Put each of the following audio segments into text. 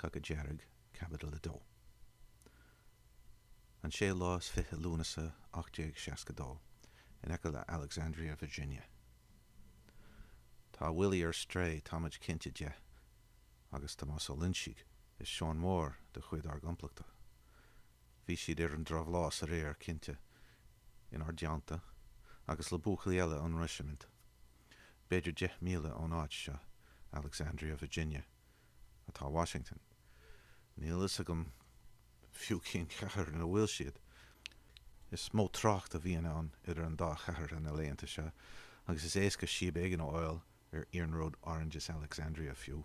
Cogadh Dearg, Caibidil 2. An séú lá is 20 Lúnasa 1862, in aice le Alexandria, Virginia. Tá Willie ar strae, táimid cinnte de, agus Tomás Ó Loinsigh is Seán Mór de chuid ár gcomplachta. Bhí siad ar an drabhlás aréir, cinnte, inár dteannta, agus le buachaillí eile ón reisimint. B'fhéidir 10 míle ón áit seo, Alexandria, Virginia, atá Washington. Níl a fhios agam fiú cén chathair ina bhfuil siad. Is mó trácht a bhíonn ann idir an dá chathair na laethanta seo, agus is éasca síob éigin a fháil ar iarnród Orange is Alexandria fiú.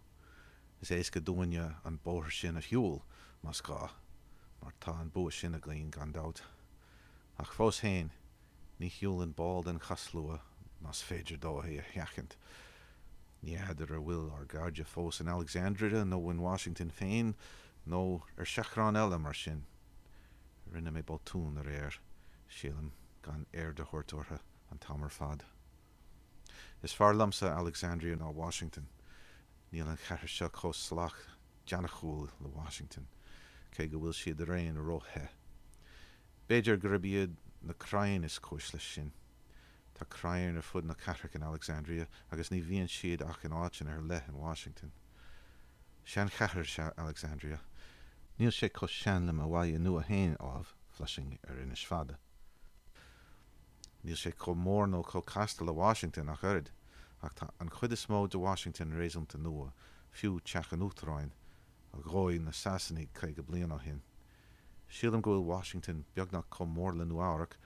Is éasca dúinne an bóthar sin a shiúl, más gá, mar tá an bua sin againn gan dabht. Ach fós féin, ní shiúlann ball den chathshlua más féidir dó é a sheachaint. Ní fheadar an bhfuil ár gcairde fós in Alexandria nó in Washington féin nó ar seachrán eile mar sin. Rinne mé botún aréir, sílim, gan aird a thabhairt orthu an t-am ar fad. Is fearr liomsa Alexandria ná Washington. Níl an chathair seo chomh salach deannachúil le Washington, cé go bhfuil siad araon ró-the. B'fhéidir gurb iad na crainn is cúis leis sin. Tá crainn ar fud na cathrach in Alexandria agus ní bhíonn siad ach in áiteanna ar leith in Washington. Seanchathair is ea Alexandria. Níl sé chomh sean le mo bhaile nua féin, ámh, Flushing ar Inis Fada. Níl sé chomh mór nó chomh casta le Washington ach oiread, ach tá an chuid is mó de Washington réasúnta nua, fiú Teach an Uachtaráin, a dhóigh na Sasanaigh 50 bliain ó shin. Sílim go bhfuil Washington beagnach chomh mór le Nua Eabhrac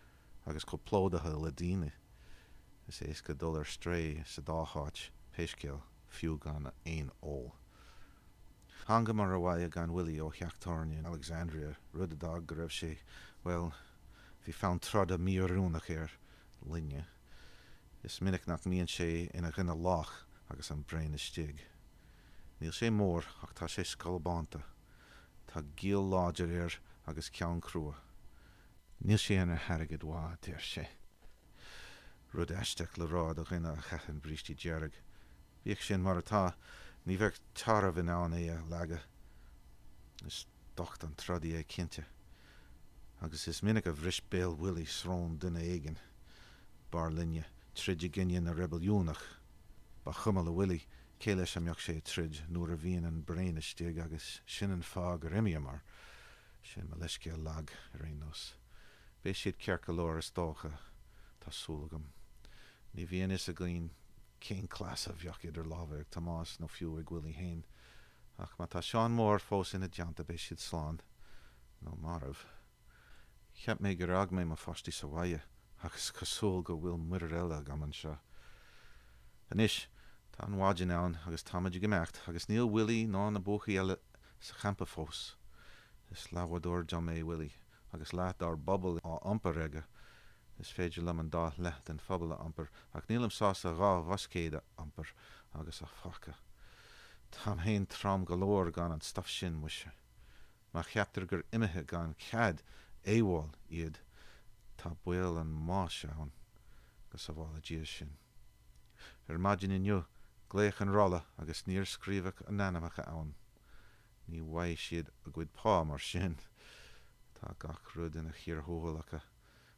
agus chomh plódaithe le daoine. Is éasca dul ar strae sa dá háit, pé scéal, fiú gan aon ól. Thángamar abhaile gan Willie ó theach tábhairne in Alexandria, rud a d'fhág go raibh sé, bhuel, Bhí fonn troda mí-oiriúnach air linne. Is minic nach mbíonn sé ina dhuine lách agus an braon istigh. Níl sé mór ach tá sé scolbánta. Tá giall láidir air agus ceann crua. Níl sé ina airgead mhaith, deir sé. Rud aisteach le rá do dhuine a chaitheann brístí dearg. Bíodh sin mar atá, ní bheadh tarbh in ann é a leagadh. Is docht an trodaí é cinnte. Agus is minic a bhris béal Willie srón duine éigin. B'fhearr linne troid i gcoinne na reibiliúnach. Ba chuma le Willie cé leis a mbeadh sé ag troid nuair a bhíonn an braon istigh agus sin an fáth gur imíomar. Sin mo leithscéal lag, ar aon nós. Beidh siad ceart go leor is dócha, tá súil agam. Ní bhíonn fhios againn cén cleas a bheadh idir lámha ag Tomás nó fiú ag Willie fhéin. Ach má tá Seán Mór fós ina dteannta beidh siad slán. Nó marbh. Cheap mé gur fhág mé mo pháistí sa bhaile ach is cosúil go bhfuil muirear eile agam anseo. Anois, tá an mhaidin ann agus táimid ag imeacht agus níl Willie ná na buachaillí eile sa champa fós. Is leathbhádóir dom é Willie agus leath dár bpobal á iompar aige. Is féidir liom an dá leath den phobal a iompar, ach nílim sásta 2 mhuscaed a iompar agus a phácadh. Táim fhéin trom go leor gan an stuif sin, muise. Má cheaptar gur imithe gan cead, AWOL, iad, tá baol an bháis ann. Go sábhála Dia sinn. Ar maidin inniu, glaodh an rolla agus níor scríobhadh a n-ainmneacha ann. Ní bhfaighidh siad a gcuid pá mar sin. Tá gach rud ina chíor thuathail acu.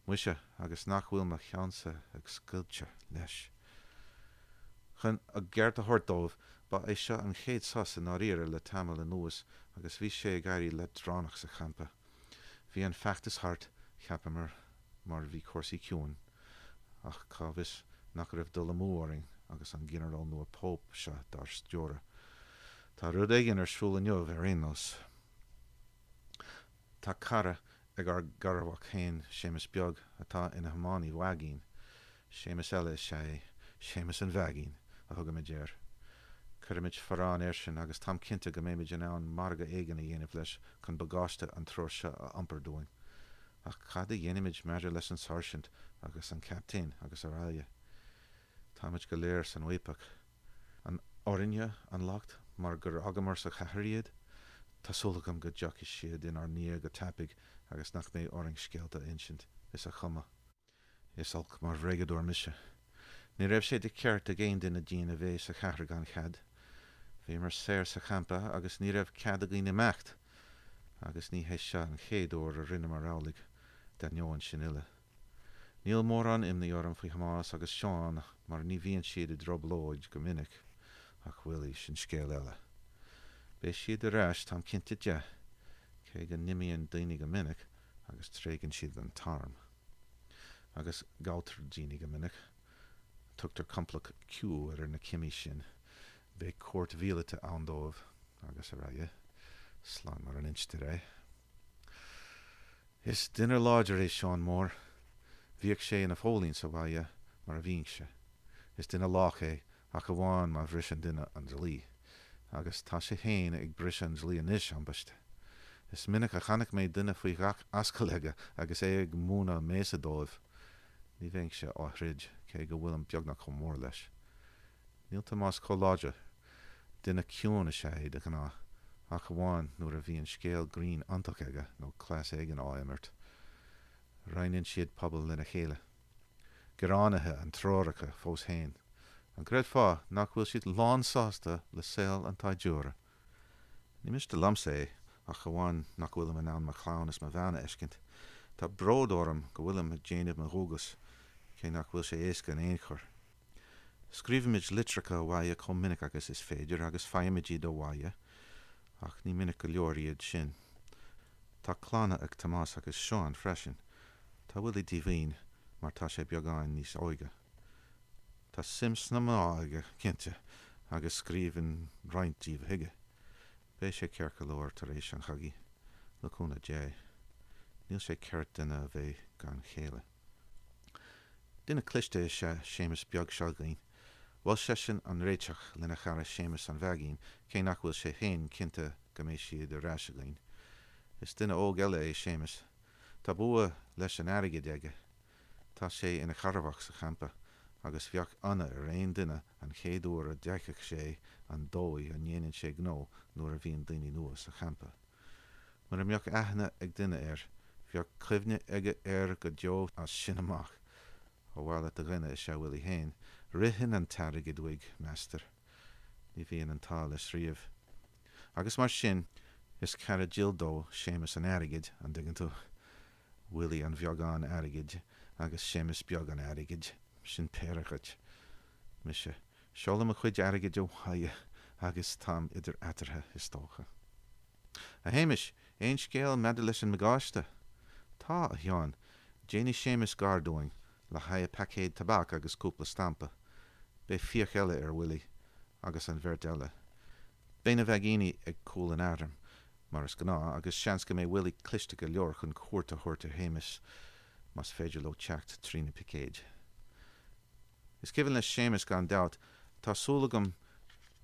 Muise, agus nach bhfuil mo cheannsa ag scoilteadh leis. Chun a gceart a thabhairt dóibh, ba é seo an chéad sos i ndáiríre le tamall anuas agus bhí sé ag éirí leadránach sa champa. Bhí an feachtas thart, cheapamar, mar bhí cúrsaí ciúin. Ach cá bhfios nach raibh dul amú orainn agus an Ginearál nua Pope seo dár stiúradh. Tá rud éigin ar siúl inniu ar aon nós. Tá cara ag ár garmhac féin, Séamus Beag, atá ina thiománaí vaigín. Séamus eile is ea é, Séamus an Vaigín a thugaimid air. Cuirfimid forrán airsean agus táim cinnte go mbeimid in ann margadh éigin a dhéanamh leis chun bagáiste an triúir seo a iompar dúinn. Ach cad a dhéanfaimid maidir leis an sáirsint agus an captaen agus araile? Táimid go léir san fhaopach. An orainne an locht mar gur fhágamar sa chathair iad? Tá súil agam go dtiocfaidh siad inár ndiaidh go tapaidh agus nach mbeidh orainn scéalta a insint is a chumadh. Is olc mar bhréagadóir mise. Ní raibh sé de cheart ag aon duine dínn a bheith sa chathair gan chead. Bhíomar saor sa champa agus ní raibh cead againn imeacht, agus ní hé seo an chéad uair a rinneamar amhlaidh, d'ainneoin sin uile. Níl mórán imní orm faoi Thomás agus Seán mar ní bhíonn siad i dtroiblóid go minic, ach Willie, sin scéal eile. Beidh siad ar ais, táim cinnte de, cé go n-imíonn daoine go minic agus tréigeann siad an t-arm. Agus gabhtar daoine go minic. Tugtar Complacht Q ar na cimí sin. Beidh cúirt mhíleata ann dóibh, agus araile. Slán mar a n-instear é. Is duine láidir é Seán Mór. Bhíodh sé ina phóilín sa bhaile mar a bhínnse. Is duine lách é, ach amháin má bhriseann duine an dlí. Agus tá sé féin ag briseadh an dlí anois, ambaiste. Is minic a chonaic mé duine faoi ghach ascaill aige agus é ag múineadh béasa dóibh. Ní bheinnse á throid, cé go bhfuilim beagnach chomh mór leis. Níl Tomás chomh láidir. Duine ciúin is ea é de ghnáth, ach amháin nuair a bhíonn scéal grinn iontach aige nó cleas éigin á imirt. Roinneann siad puball lena chéile. Gearánaithe an triúr acu fós féin. An gcreidfeá nach bhfuil siad lánsásta le saol an tsaighdiúra? Ní miste liomsa é, ach amháin nach bhfuilim in ann mo chlann is mo bhean a fheiscint. Tá bród orm go bhfuilim ag déanamh mo dhualgas, cé nach bhfuil sé éasca in aon chor. Scríobhaimid litreacha abhaile chomh minic agus is féidir agus faighimid iad abhaile, ach ní minic go leor iad sin. Tá clanna ag Tomás agus Seán freisin. Tá Willie díomhaoin mar tá sé beagáin níos óige. Tá suim sna mná aige, cinnte, agus scríobhann roinnt díobh chuige. Beidh sé ceart go leor tar éis an chogaidh, le cúnamh Dé. Níl sé ceart duine a bheith gan chéile. Duine cliste is ea Séamus beag seo againn. Mhol seisean an réiteach lena chara Séamus an Mheaigín, cé nach bhfuil sé féin cinnte go mbeidh siad ar ais againn. Is duine óg eile é Séamus. Tá bua leis an airgead aige. Tá sé ina chearrbhach sa champa, agus bheadh ionadh ar aon duine an chéad uair a d'fheicfeadh sé an dóigh a ndéanann sé gnó nuair a bhíonn daoine nua sa champa. Mura mbeadh aithne ag duine air, bheadh cuimhne aige air go deo as sin amach. Ó mhaith leat a dhuine is ea Willie féin. Ritheann an t-airgead uaidh, meastar. Ní bhíonn an t-ádh leis riamh. Agus mar sin, is cara dil dó Séamus an Airgid, an dtuigeann tú. Willie an bheagáin airgid agus Séamus beag an airgid, sin péire dhuit. Mise, seolaim mo chuid airgid abhaile agus táim idir eatarthu, is dócha. A Shéamais, aon scéal maidir leis an mbagáiste? Tá, a Sheáin. Déanfaidh Séamus gar dúinn, le haghaidh paicéad tobac agus cúpla stampa. Beidh fiach eile ar Willie, agus an bheirt eile. Beidh na vaigíní ag cúl an airm, mar is gnáth, agus seans go mbeidh Willie cliste go leor chun cuairt a thabhairt ar Shéamus, más féidir leo teacht trí na picéid. Is cuimhin le Séamus gan dabht, tá súil agam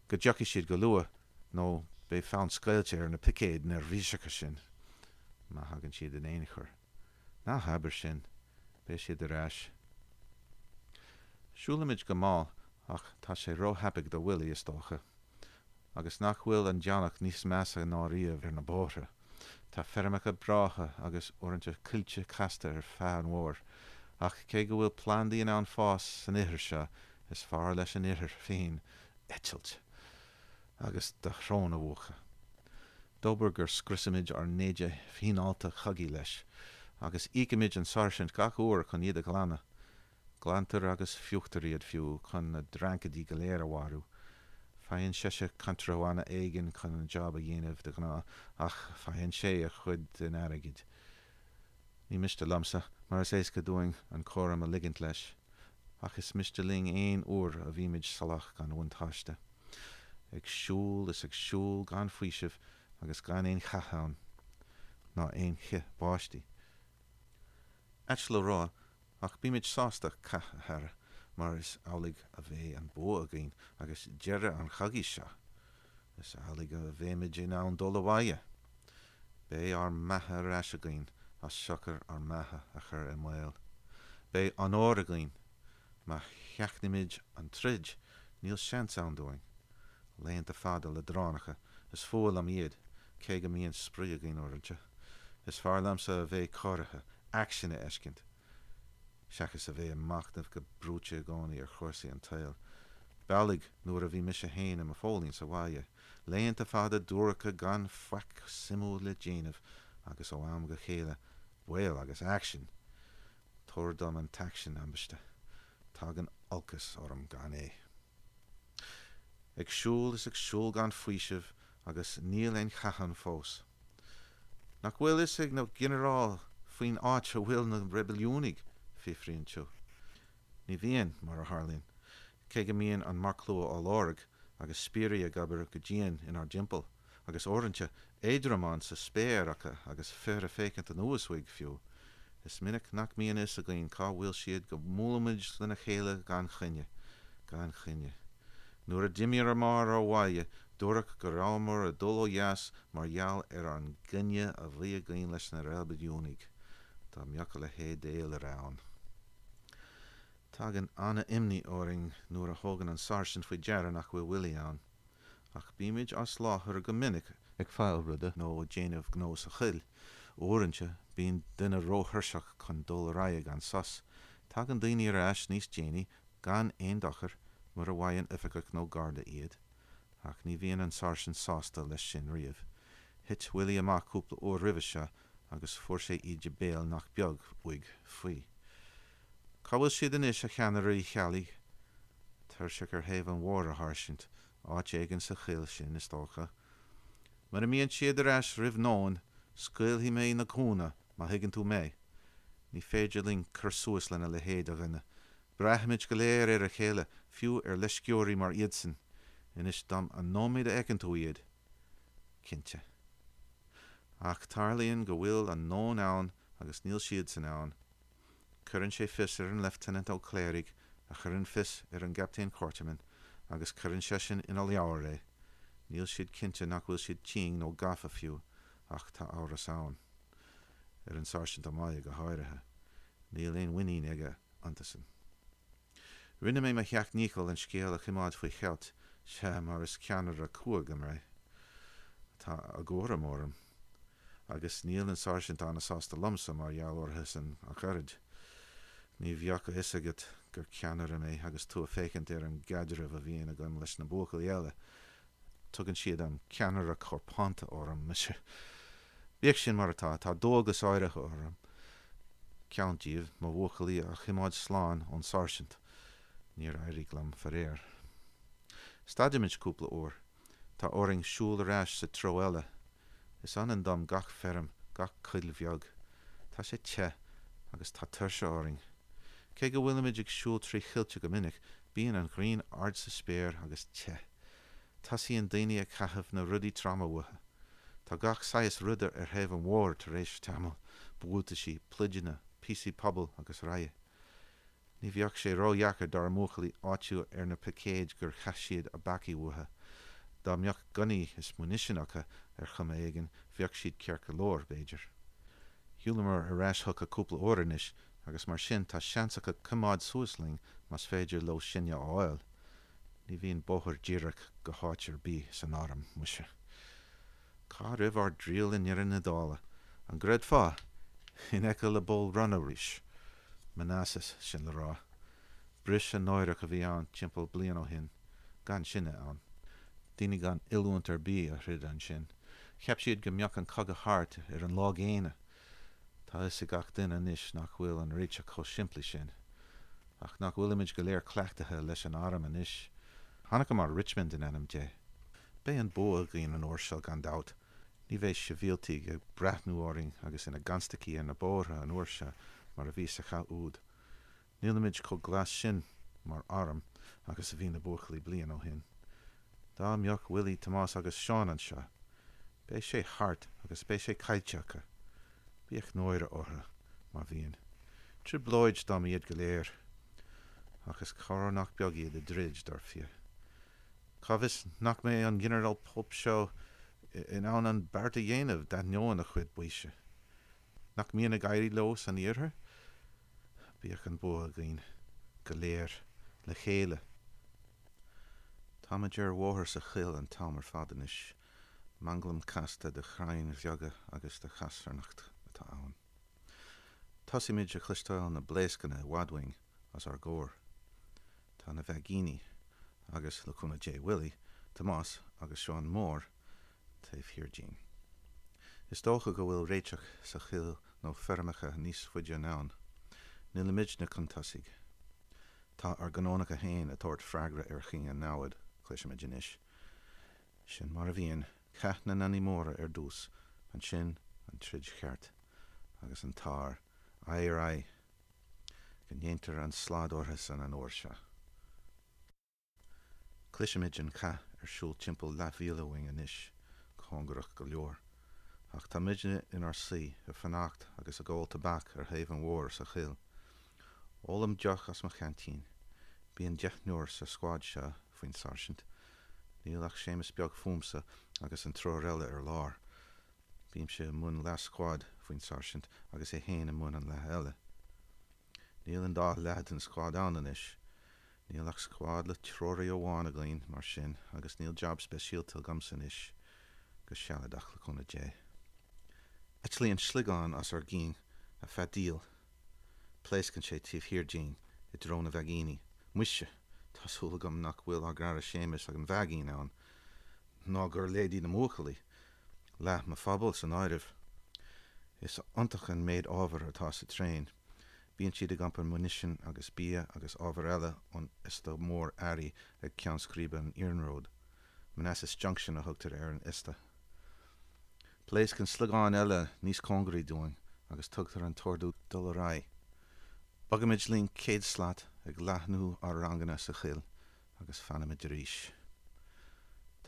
go dtiocfaidh siad go luath nó beidh fonn scoilte ar na picéid neirbhíseacha sin, má thagann siad in aon chor. Ná habair sin, beidh siad ar ais. Siúlaimid go mall ach tá sé róthapaidh do Willie, is dócha. Agus nach bhfuil an deannach níos measa ná riamh ar na bóithre. Tá feirmeacha breátha agus uaireanta coillte casta ar feadh an bhóthair, ach cé go bhfuil plandaí in ann fás san ithir seo, is fearr leis an ithir féin eitilt agus do shrón a mhúchadh. Dóbair gur scriosaimid ár n-éide fíneálta chogaidh leis, agus íocaimid an sáirsint gach uair chun iad a ghlanadh. Glantar agus fiuchtar iad fiú chun na dreancaidí go léir a mharú. Faigheann seisean contrabhanna éigin chun an job a dhéanamh de ghnáth, ach faigheann sé a chuid den airgead. Ní miste liomsa, mar is éasca dúinn an cúram a ligint leis. Ach is miste linn aon uair a bhímid salach gan bhuntáiste. Ag siúl is ag siúl gan faoiseamh agus gan aon chath ann, ná aon chith báistí. Ait le rá, Ach bímid sásta cath a fhearadh, mar is amhlaidh a bheidh an bua againn agus deireadh an chogaidh seo. Is amhlaidh a bheimid in ann dul abhaile. Beidh ár mbeatha ar ais againn as siocair ár mbeatha a chur i mbaol. Beidh onóir againn. Má sheachnaímid an troid, níl seans ann dúinn. Laethanta fada leadránacha, is fuath liom iad, cé go mbíonn spraoi againn uaireanta. Is fearr liomsa a bheith cóirithe, aicsean a fheiscint, seachas a bheith ag machnamh go brúite i gcónaí ar chúrsaí an tsaoil. B'amhlaidh nuair a bhí mise fhéin i mo phóilín sa bhaile. Laethanta fada duairce gan faic suimiúil le déanamh agus ó am go chéile, baol agus aicsean. Tabhair dom an t-aicsean, ambaiste. Tagann olcas orm gan é. Ag siúl is ag siúl gan faoiseamh agus níl aon chath ann fós. Nach bhfuil fhios ag na ginearáil faoin áit a bhfuil na reibiliúnaigh? fiafraíonn tú. Ní bhíonn, mar a tharlaíonn, cé go mbíonn an marcshlua á lorg agus spiairí ag obair go dian inár dtimpeall, agus uaireanta éadromáin sa spéir acu agus fir ag féachaint anuas uaidh fiú. Is minic nach mbíonn fhios againn cá bhfuil siad go mbuailimid lena chéile gan choinne. Gan choinne. Nuair a d'imíomar ó bhaile, dúradh go rabhamar ag dul ó dheas mar gheall ar an gcoinne a bhí againn leis na reibiliúnaigh. Dá mbeadh a leithéid d'fhéilire ann. Tagann an-imní orainn nuair a thugann an sáirsint faoi deara nach bhfuil Willie ann. Ach bímid as láthair go minic, ag fáil ruda nó ag déanamh gnó sa choill. Uaireanta, bíonn duine róthuirseach chun dul ar aghaidh gan sos. Tagann daoine ar ais níos déanaí, gan aon dochar, mura bhfaigheann oifigeach nó garda iad. Ach ní bhíonn an sáirsint sásta leis sin riamh. Thit Willie amach cúpla uair roimhe seo agus fuair sé íde béil nach beag uaidh faoi. Cá bhfuil siad anois, a cheannaire Uí Cheallaigh? Tuirseach ar thaobh an bhóthair, a sháirsint. Áit éigin sa choill sin, is dócha. Mura mbíonn siad ar ais roimh nóin, scaoilfidh mé na gúna, má thuigeann tú mé. Ní féidir linn cur suas lena leithéid de dhuine. Braithimid go léir ar a chéile, fiú ar leisceoirí mar iadsan. Inis dom an nóiméad a fheiceann tú iad. Cinnte. Ach tarlaíonn go bhfuil an nóin ann agus níl siadsan ann. Cuireann sé fios ar an Leifteanant Ó Cléirigh, a chuireann fios ar an gCaptaen Quarterman, agus cuireann seisean ina leabhar é. Níl siad cinnte nach bhfuil siad tinn nó gafa fiú, ach tá amhras ann. Ar an Sáirsint Ó Máille go háirithe. Níl aon mhuinín aige iontusan. Rinne mé mo sheacht ndícheall an scéal a choimeád faoi cheilt, sea, mar is ceannaire cumhach mé. Tá a gcúram orm. Agus níl an sáirsint an-sásta liomsa mar gheall orthusan ach oiread. Ní bheadh a fhios agat gur ceannaire mé agus tú ag féachaint ar an gcaidreamh a bhíonn agam leis na buachaillí eile. Tugann siad an ceannaire corpánta orm, muise. Bíodh sin mar atá, tá dualgas áirithe orm, ceann díobh, mo bhuachaillí a choimeád slán ón sáirsint. Níor éirigh liom, faraor. Stadaimid cúpla uair. Tá orainn siúl ar ais sa treo eile. Is ionann dom gach feirm, gach coill bheag. Tá sé te, agus tá tuirse orainn. Cé go bhfuilimid ag siúl trí choillte go minic, bíonn an ghrian ard sa spéir agus te. Tosaíonn daoine ag caitheamh na rudaí troma uathu. Tá gach saghas ruda ar thaobh an bhóthair tar éis tamaill, buataisí, pluideanna, píosaí pubaill agus araile. Ní bheadh sé ródheacair dár mbuachaillí áitiú ar na picéid gur chaith siad a bpacaí uathu. Dá mbeadh gunnaí is munition acu ar chuma éigin, bheadh siad ceart go leor, b'fhéidir. Shiúlamar ar ais chucu cúpla uair anois agus mar sin tá seans acu coimeád suas linn más féidir leo sinne a fháil. Ní bhíonn bóthar díreach go háit ar bith san arm, muise. Cá raibh ár dtriall i ndeireadh na dála? An gcreidfeá? In aice le Bull Run arís. Manassas, sin le rá. Briseadh náireach a bhí ann timpeall bliain ó shin, gan sinne ann. Daoine gan oiliúint ar bith a throid ansin. Cheap siad go mbeadh an cogadh thart ar an lá gcéanna. Tá a fhios ag gach duine anois nach bhfuil an réiteach chomh simplí sin. Ach nach bhfuilimid go léir cleachtaithe leis an arm anois? Chonaiceamar Richmond in ainm Dé. Beidh an bua againn an uair seo gan dabht. Ní bheidh sibhialtaigh ag breathnú orainn agus ina gconstaicí ar na bóithre an uair seo mar a bhí sa chath úd. Nílimid chomh glas sin mar arm agus a bhí na buachaillí bliain ó shin. Dá mbeadh Willie, Tomás agus Seán anseo! Beidh sé thart agus beidh sé caillte acu. Bíodh náire orthu, má bhíonn. Trioblóid dom iad go léir. Ach is cabhair nach beag iad i dtroid, dar fia. Cá bhfios nach mbeidh an Ginearál Pope seo in ann an beart a dhéanamh d'ainneoin a chuid baoise? Nach mbíonn ag éirí leo san iarthar? Bíodh an bua againn. Go léir. Le chéile. Táimid ar bhóthar sa choill an t-am ar fad anois. Manglam casta de chrainn bheaga agus de chasarnach atá ann. Tosaímid a chloisteáil na blaoscanna i bhfad uainn, os ár gcomhair. Tá na vaigíní, agus, le cúnamh Dé, Willie, Tomás agus Seán Mór taobh thiar dínn. Is dócha go bhfuil réiteach sa choill nó feirmeacha níos faide anonn. Nílimidne chun tosaigh. Tá ár gcanónacha féin ag tabhairt freagra ar chuing an namhad, cloisimid anois. Sin mar a bhíonn, cath na ngunnaí móra ar dtús, ansin an troid cheart, agus an t-ár, aghaidh ar aghaidh, go ndéantar an slad orthusan an uair seo. Cloisimid an cath ar siúl timpeall leathmhíle uainn anois, cóngarach go leor. Ach tá muidne inár suí, ag fanacht agus ag ól tobac ar thaobh an bhóthair sa choill. Ólaim deoch as mo cheaintín. Bíonn deichniúr sa scuad seo faoin sáirsint. Níl ach Séamus Beag fúmsa agus an triúr eile ar lár. Bímse i mbun leath scuad faoin sáirsint agus é féin i mbun an leath eile. Níl an dá leath den scuad ann anois. Níl ach scuad le treoraí amháin againn, mar sin, agus níl jab speisialta agamsa anois, go sealadach, le cúnamh Dé. Eitlíonn sliogán os ár gcionn, a feadaíl. Pléascann sé taobh thiar dínn, i dtreo na vaigíní. Muise! Tá súil agam nach bhfuil ár gcara Séamus ag an vaigín ann, ná gur leidí na mbuachaillí. Leath mo phobal san áireamh. Is iontach an méid ábhair atá sa traein. Bíonn siad ag iompar munition agus bia agus ábhar eile ón iosta mór earraí ag ceann scríbe an iarnróid. Manassas Junction a thugtar ar an iosta. Pléascann sliogán eile níos cóngaraí dúinn agus tugtar an t-ordú dul ar aghaidh. Bogaimid linn 100 slat ag leathnú ár ranganna sa choill agus fanaimid arís.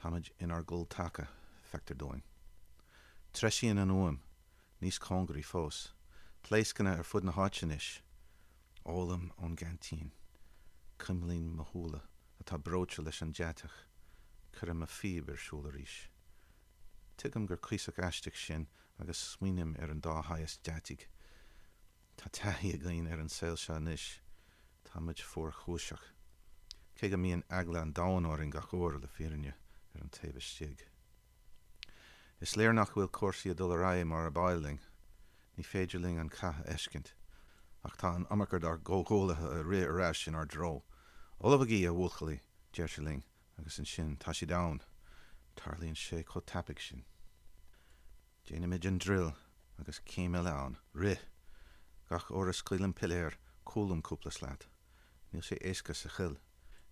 Táimid inár gcul taca, feictear dúinn. Treisíonn an fhuaim, níos cóngaraí fós. Pléascanna ar fud na háite anois. Ólaim ón gceaintín. Cuimlím mo shúile, atá breoite leis an deatach. Cuirim mo phíb ar siúl arís. Tuigim gur cuíosach aisteach sin agus smaoiním ar an dá shaghas deataigh. Tá taithí againn ar an saol seo anois. Tá muid fuarchúiseach. Cé go mbíonn eagla an domhain orainn gach uair, le fírinne, ar an taobh istigh. Is léir nach bhfuil cúrsaí ag dul ar aghaidh mar ab áil linn. Ní féidir linn an cath a fheiscint. Ach tá an iomarca dár gcomhghuaillithe ag rith ar ais inár dtreo. Ullmhaigí, a bhuachaillí, deirtear linn, agus ansin tá siad ann. Tarlaíonn sé chomh tapaidh sin. Déanaimid an druil agus céim eile ann. Rith! Gach uair a scaoilim piléar, cúlaím cúpla slat. Níl sé éasca sa choill.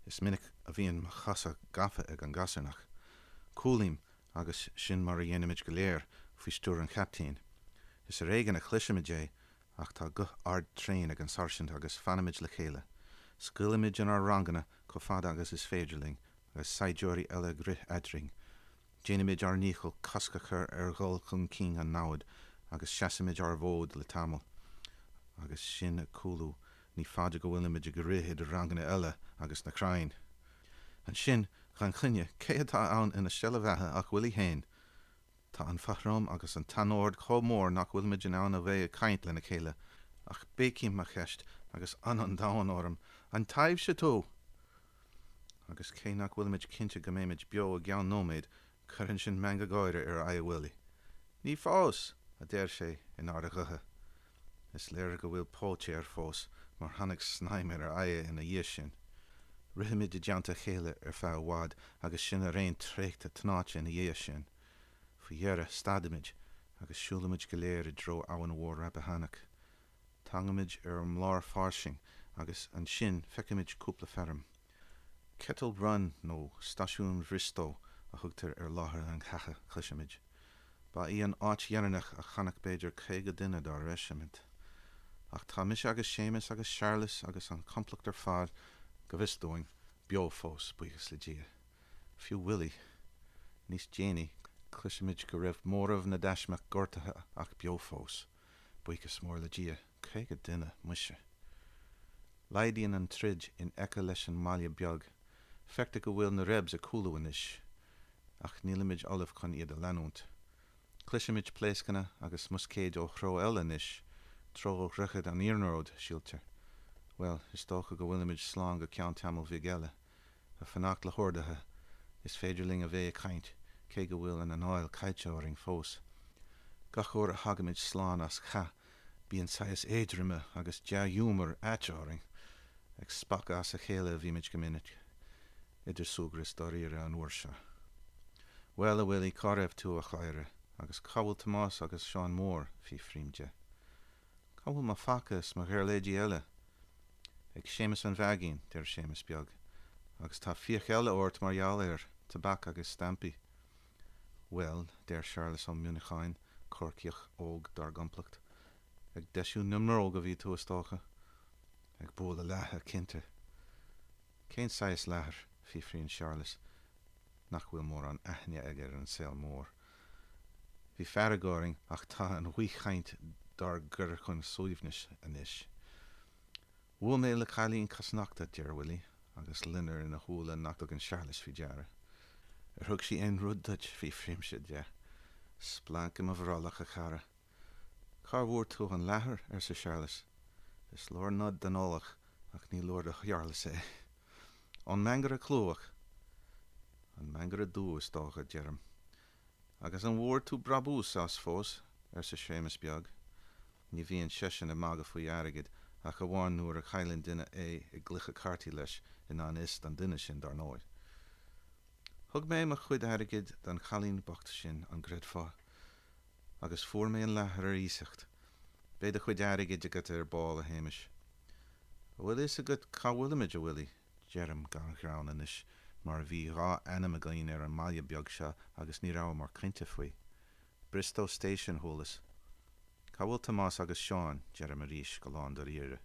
Is minic a bhíonn mo chosa gafa ag an gcasarnach. Cúlaím agus sin mar a dhéanaimid go léir, faoi stiúir an chaptaein. Is ar éigean a chloisimid é ach tá guth ard tréan ag an sáirsint agus fanaimid le chéile. Scaoilimid inár ranganna chomh fada agus is féidir linn agus saighdiúirí eile ag rith eadrainn. Déanaimid ár ndícheall cosc a chur ar dhul chun cinn an namhad agus seasaimid ár bhfód le tamall. Agus sinn ag cúlú, ní fada go bhfuilimid ag rith idir ranganna eile agus na crainn. Ansin, gan choinne, cé atá ann ina steillebheatha ach Willie féin! Tá an fothram agus an t-anord chomh mór nach bhfuilimid in ann a bheith ag caint lena chéile. Ach béicím mo cheist, agus ionadh an domhain orm, An taibhse tú? Agus cé nach bhfuilimid cinnte go mbeimid beo i gceann nóiméid, cuireann sin meangadh gáire ar aghaidh Willie. Ní fós! a deir sé in ard a ghutha. Is léir go bhfuil póit air fós mar tháinig snaidhm ar a aghaidh ina dhiaidh sin. Rithimid i dteannta a chéile ar feadh i bhfad agus sinn araon traochta tnáite ina dhiaidh sin. Faoi dheireadh, stadaimid agus siúlaimid go léir i dtreo Abhainn Mhór Rappahannock. Tagaimid ar an mblár fairsing agus ansin feicimid cúpla feirm. Kettle Run nó Stáisiún Bhriostó a thugtar ar láthair an chatha, cloisimid. Ba í an áit dheireanach a chonac b'fhéidir 50 duine dár reisimint. Ach tá mise agus Séamus agus Searlas agus an complacht ar fad, go bhfios dúinn, beo fós, buíochas le Dia. Fiú Willie. Níos déanaí, cloisimid go raibh móramh na dtaismeach gortaithe ach beo fós. Buíochas mór le Dia, 50 duine, muise. Laghdaíonn an troid in aice leis an mbaile beag. Feictear go bhfuil na Rebs ag cúlú anois. Ach nílimid ullamh chun iad a leanúint. Cloisimid pléascanna agus muscaeid ó threo eile anois, treo dhroichead an iarnróid, síltear. Bhuel, is dócha go bhfuilimid slán go ceann tamaill bhig eile. Ag fanacht le horduithe, is féidir linn a bheith ag caint, cé go bhfuil an anáil caillte orainn fós. Gach uair a thagaimid slán as cath, bíonn saghas éadroime agus dea-ghiúmar aite orainn. Ag spochadh as a chéile a bhímid go minic. Idir súgradh is dáiríre an uair seo. Bhuel, a Willie, cá raibh tú, a chladhaire? Agus cá bhfuil Tomás agus Seán Mór? fiafraím de. Cá bhfuil mo phaca is mo ghiuirléidí eile? Ag Séamus an Mheaigín, deir Séamus Beag. Agus tá fiach eile ort mar gheall air, tobac agus stampaí. Bhuel, deir Searlas Ó Muineacháin, Corcaíoch óg dár gcomplacht, ag deisiú na mbróg a bhí tú, is dócha? Ag bualadh leatha, cinnte. Cén saghas leathair? fiafraíonn Searlas, nach bhfuil mórán aithne aige ar an saol mór. Bhí fearg orainn ach tá an bhaothchaint dár gcur chun suaimhnis anois. Bhuail mé le cailín cosnochta, deir Willie, agus loinnir ina shúile nach dtugann Searlas faoi deara. Ar thug sí aon rud duit? fiafraímse de. Splanc i mo bhrollach, a chara. Cá bhfuair tú an leathar? arsa Searlas. Is leor nod don eolach, ach ní leor do Shearlas é. Ón mangaire clúmhach. An mangaire dubh, is dócha, deirim. Agus an bhfuair tú brabús as fós? arsa Séamus Beag. Ní bhíonn seisean ag magadh faoi airgead ach amháin nuair a chailleann duine é i gcluiche cártaí leis, i ngan fhios don duine sin, dar ndóigh. Thug mé mo chuid airgid don chailín bocht sin, an gcreidfeá? Agus fuair mé an leathar ar iasacht. Beidh do chuid airgid agat ar ball, a Shéamais. An bhfuil fhios agat cá bhfuilimid, a Willie? Deirim gan ghreann anois, mar bhí dha ainm againn ar an mbaile beag seo agus ní rabhamar cinnte faoi. Bristow Station, chualas. Cá bhfuil Tomás agus Seán? Deirim arís, go lán dáiríre.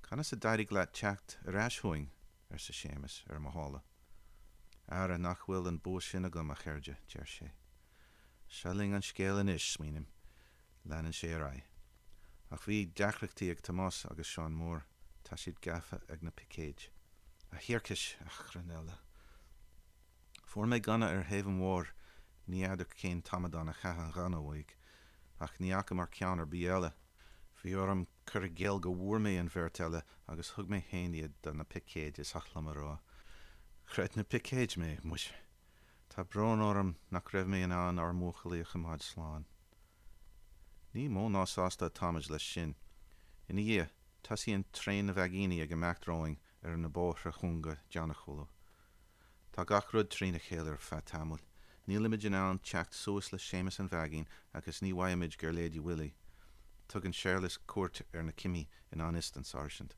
Conas a d'éirigh leat teacht ar ais chugainn? arsa Séamus, ar mo shála. Ara, nach bhfuil an bua sin agam, a chairde, deir sé. Seo linn an scéal anois, smaoiním. Leanann sé ar aghaidh. Ach bhí deacrachtaí ag Tomás agus Seán Mór, tá siad gafa ag na picéid. A thiarcais, achrann eile. Fuair mé gunna ar thaobh an bhóthair, ní fheadar cén t-amadán a chaith an gunna uaidh, ach ní fhacamar ceann ar bith eile. Bhí orm cur i gcéill go bhfuair mé an bheirt eile agus thug mé féin iad do na picéid, is oth liom a rá. Chreid na picéid mé, muise. Tá brón orm nach raibh mé in ann ár mbuachaillí a choimeád slán. Ní mó ná sásta atáimid leis sin. Ina dhiaidh, tosaíonn traein na vaigíní ag imeacht romhainn ar na bóithre cúnga deannachúla. Tá gach rud trína chéile ar feadh tamaill. Nílimid in ann teacht suas le Séamus an Mheaigín agus ní bhfaighimid giuirléidí Willie. Tugann Séarlas cuairt ar na cimí i ngan fhios don sáirsint.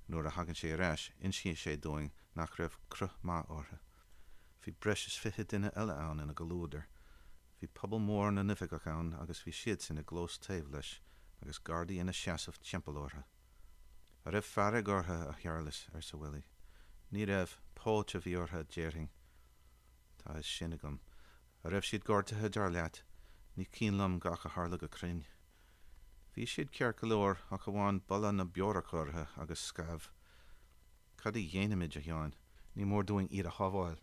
Nuair a thagann sé ar ais, insíonn sé dúinn nach raibh cruth maith orthu. Bhí breis is 20 duine eile ann ina gcomhluadar. Bhí pobal mór na n-oifigeach ann agus bhí siadsan i gclós taobh leis agus gardaí ina seasamh timpeall orthu. An raibh fearg orthu, a Shearlais? arsa Willie. Ní raibh. Póit a bhí orthu, déarfainn. Tá a fhios sin agam. An raibh siad gortaithe, dar leat? Ní cuimhin liom gach a tharla go cruinn. Bhí siad ceart go leor, ach amháin boladh na beorach orthu agus scamh. Cad a dhéanfaimid, a Sheáin? Ní mór dúinn iad a shábháil.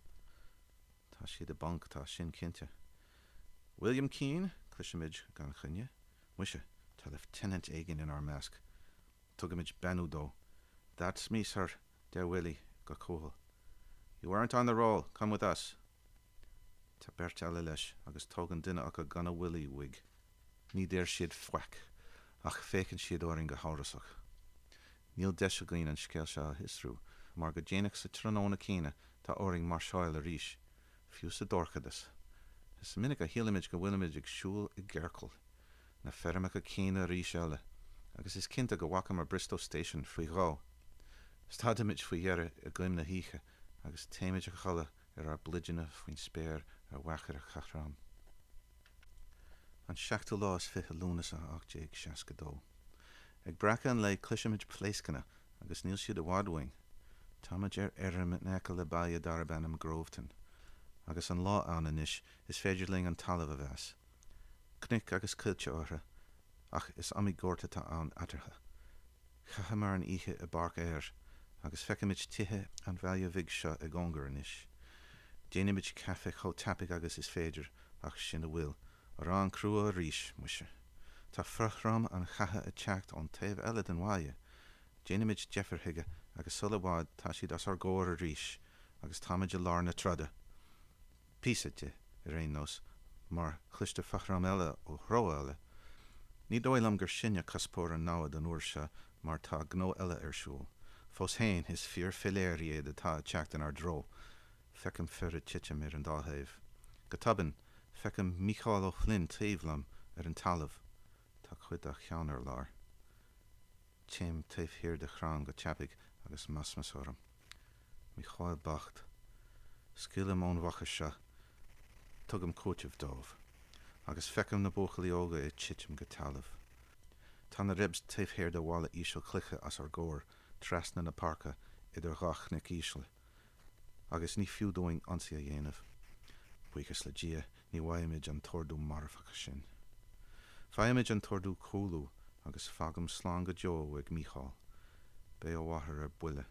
Tá siad i bponc, tá sin cinnte. William Keane? Cloisimid gan choinne. Muise, tá lieutenant éigin inár measc. Tugaimid beannú dó. That's me, sir, deir Willie go cúthail. You aren't on the roll. Come with us. Tá beirt eile leis agus tógann duine acu gunna Willie uaidh. Ní deir siad faic, ach féachann siad orainn go hamhrasach. Níl deis againn an scéal seo a fhiosrú, mar go déanach sa tráthnóna céanna tá orainn máirseáil arís, fiú sa dorchadas. Is minic a shílimid go bhfuilimid ag siúl i gciorcal. Na feirmeacha céanna arís eile, agus is cinnte go bhfacamar Bristow Station faoi dhó. Stadaimid faoi dheireadh i gcoim na hoíche agus téimid a chodladh ar ár bpluideanna faoin spéir ar Mhachaire Chothrom. An seachtú lá is fiche Lúnasa 1862. Ag breacadh an lae cloisimid pléascanna agus níl siad i bhfad uainn. Táimid ar fheirm in aice le baile darb ainm Groveton. Agus an lá ann anois is féidir linn an talamh a mheas. Cnoic agus coillte orthu, ach is iomaí gort atá ann eatarthu. Chaitheamar an oíche i bpáirc fhéir, agus feicimid tithe an bhaile bhig seo i gcóngar anois. Déanaimid caife chomh tapaidh agus is féidir, ach sin a bhfuil. Arán crua arís, muise. Tá fothram an chatha ag teacht ón taobh eile den bhaile. Déanaimid deifir chuige agus sula i bhfad tá siad os ár gcomhair arís agus táimid i lár na troda. Píosa di, ar aon nós, mar chloistear fothram eile ó threo eile. Ní dóigh liom gur sinne cuspóir an namhad an uair seo mar tá gnó eile ar siúl. Fós féin, is fir philéir iad atá ag teacht inár dtreo. Feicim fir ag titim ar an dá thaobh. Go tobann, feicim Mícheál Ó Floinn taobh liom ar an talamh. Tá cuid dá cheann ar lár. Téim taobh thiar de chrann go tapaidh agus masmas orm. Mícheál bocht. Scaoilim ón bhfochair seo. Tugaim cúiteamh dóibh. Agus feicim na buachaillí óga ag titim go talamh. Tá na Rebs taobh thiar de bhalla íseal cloiche os ár gcomhair, trasna na páirce, idir dhá chnoc íseal. Agus ní fiú dúinn ionsaí a dhéanamh. Buíochas le Dia, ní bhfaighimid an t-ordú marfach sin. Faighimid an t-ordú cúlú agus fágaim slán go deo ag Mícheál. Beidh a mháthair ar buile.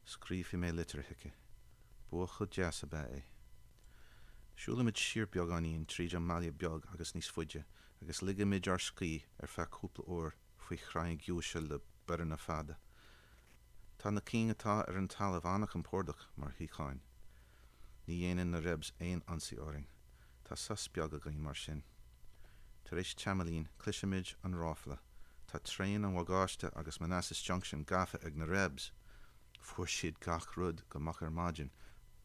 Scríobhfaidh mé litir chuici. Buachaill deas ab ea é. Siúlaimid siar beagáinín tríd an mbaile beag agus níos faide agus ligimid ár scíth ar feadh cúpla uair faoi chrainn ghiúise le bioranna fada. Tá na cinn atá ar an talamh an-chompordach mar shuíocháin. Ní dhéanann na Rebs aon ionsaí orainn. Tá sos beag againn mar sin. Tar éis tamaillín, cloisimid an ráfla. Tá traein an bhagáiste agus Manassas Junction gafa ag na Rebs! Fuair siad gach rud go moch ar maidin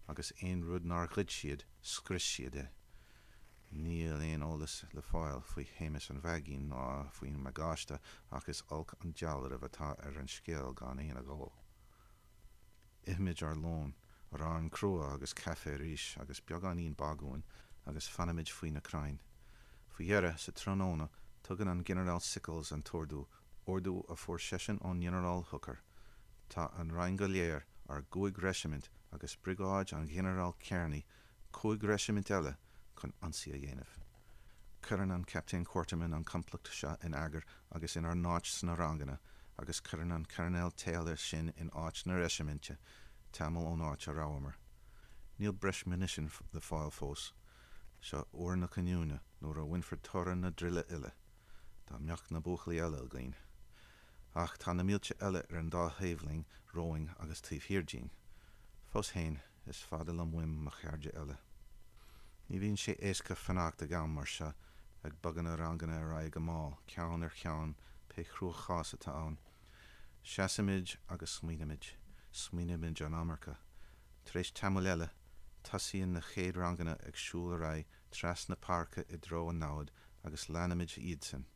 agus aon rud nár ghoid siad, scrios siad é. Níl aon eolas le fáil faoi Shéamus an Mheaigín ná faoin mbagáiste ach is olc an dealramh atá ar an scéal gan aon agó. Ithimid ár lón, arán crua agus caife arís agus beagáinín bagúin agus fanaimid faoi na crainn. Faoi dheireadh, sa tráthnóna, tugann an Ginearál Sickles an t-ordú, ordú a fuair seisean ón nGinearál Hooker. Tá an roinn go léir, ár gcúig reisimint agus briogáid an Ghinearáil Kearney, 5 reisimint eile chun ionsaí a dhéanamh. Cuireann an Captaen Quarterman an complacht seo in eagar agus inár n-áit sna ranganna agus cuireann an Coirnéal Taylor sinn in áit na reisiminte, tamall ón áit a rabhamar. Níl breis munisin le fáil fós. Seo uair na cinniúna nuair a bhainfear toradh na dtruile uile. Dá mbeadh na buachaillí eile againn. Ach tá na mílte eile ar an dá thaobh linn, romhainn agus taobh thiar dínn. Fós féin, is fada liom uaim mo chairde eile. Ní bhíonn sé éasca fanacht ag am mar seo, ag bogadh na ranganna ar aghaidh go mall, ceann ar cheann, pé cruachás atá ann. Seasaimid agus smaoinímid. Smaoinímid an iomarca. Tar éis tamaill eile, tosaíonn na chéad ranganna ag siúl ar aghaidh trasna páirce i dtreo an namhad agus leanaimid iadsan.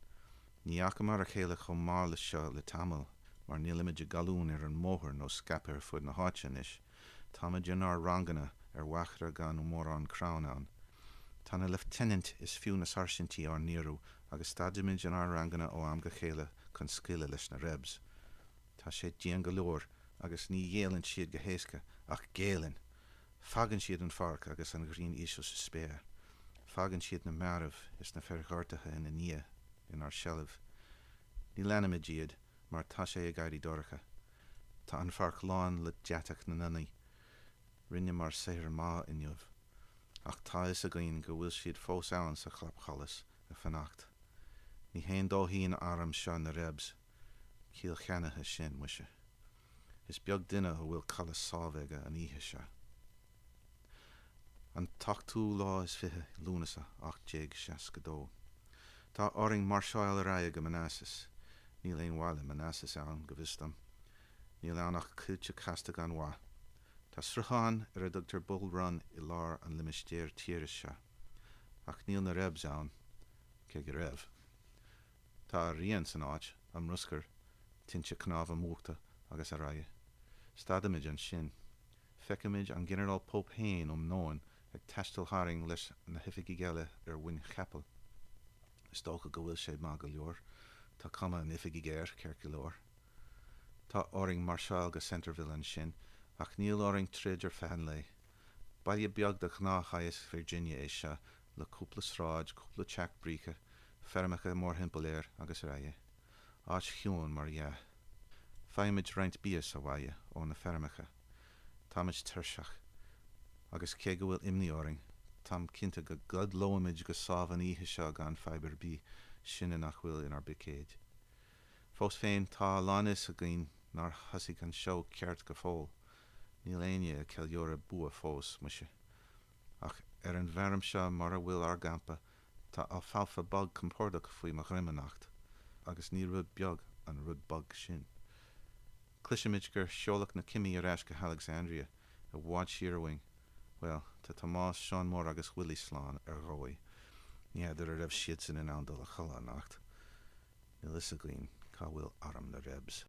Ní fhacamar a chéile chomh mall leis seo le tamall, mar nílimid i gcolúin ar an mbóthar nó scaipthe ar fud na háite anois. Táimid inár ranganna ar mhachaire gan mórán crann ann. Tá na leifteanaint is fiú na sáirsintí ár ndíriú agus stadaimid inár ranganna ó am go chéile chun scaoileadh leis na Rebs. Tá sé dian go leor agus ní ghéilleann siad go héasca, ach géilleann! Fágann siad an pháirc agus an ghrian íseal sa spéir. Fágann siad na mairbh is na fir ghortaithe ina ndiaidh inár seilbh. Ní leanaimid iad mar tá sé ag éirí dorcha. Tá an pháirc lán le deatach na ngunnaí. Rinneamar saothar maith inniu. Ach tá fhios againn go bhfuil siad fós ann sa chlapsholas ag fanacht. Ní haon dóithín arm seo na Rebs. Ciall cheannaithe sin, muise. Is beag duine a bhfuil codladh sámh aige an oíche seo. An t-ochtú lá is fiche Lúnasa 1862. Tá orainn máirseáil ar aghaidh go Manassas. Níl aon bhaile Manassas ann, go bhfios dom. Níl ann ach coillte casta gan mhaith. Tá sruthán ar a dtugtar Bull Run i lár an limistéir tíre seo. Ach níl na Rebs ann, cé go raibh. Tá a rian san áit, a mbruscar, tinte cnámha múchta agus araile. Stadaimid ansin. Feicimid an Ginearál Pope féin um nóin ag taisteal tharainn leis na hoifigigh eile ar mhuin chapaill. Is dócha go bhfuil sé maith go leor. Tá cuma an oifigigh air, ceart go leor. Tá orainn máirseáil go Centreville ansin, ach níl orainn troid ar feadh an lae. Baile beag de ghnáthshaghas Virginia é seo, le cúpla sráid, cúpla teach bríce, feirmeacha mórthimpeall air, agus araile. Áit chiúin, mar dhea. Faighimid roinnt bia sa bhaile ó na feirmeacha. Táimid tuirseach. Agus cé go bhfuil imní orainn, táim cinnte go gcodlóimid go sámh an oíche seo gan fadhb ar bith, sinne nach bhfuil inár bpicéid. Fós féin, tá a lánfhios againn nár thosaigh an seó ceart go fóill. Níl éinne ag ceiliúradh bua fós, muise. Ach ar an bhfeirm seo mar a bhfuil ár gcampa, tá alfalfa bog compordach faoi mo dhroim anocht, agus ní rud beag an rud bog sin. Cloisimid gur seoladh na cimí ar ais go hAlexandria, i bhfad siar uainn. Bhuel, tá Tomás, Seán Mór agus Willie slán, ar dhóigh. Ní fheadar an raibh siadsan in ann dul a chodladh anocht. Níl fhios againn cá bhfuil arm na Rebs.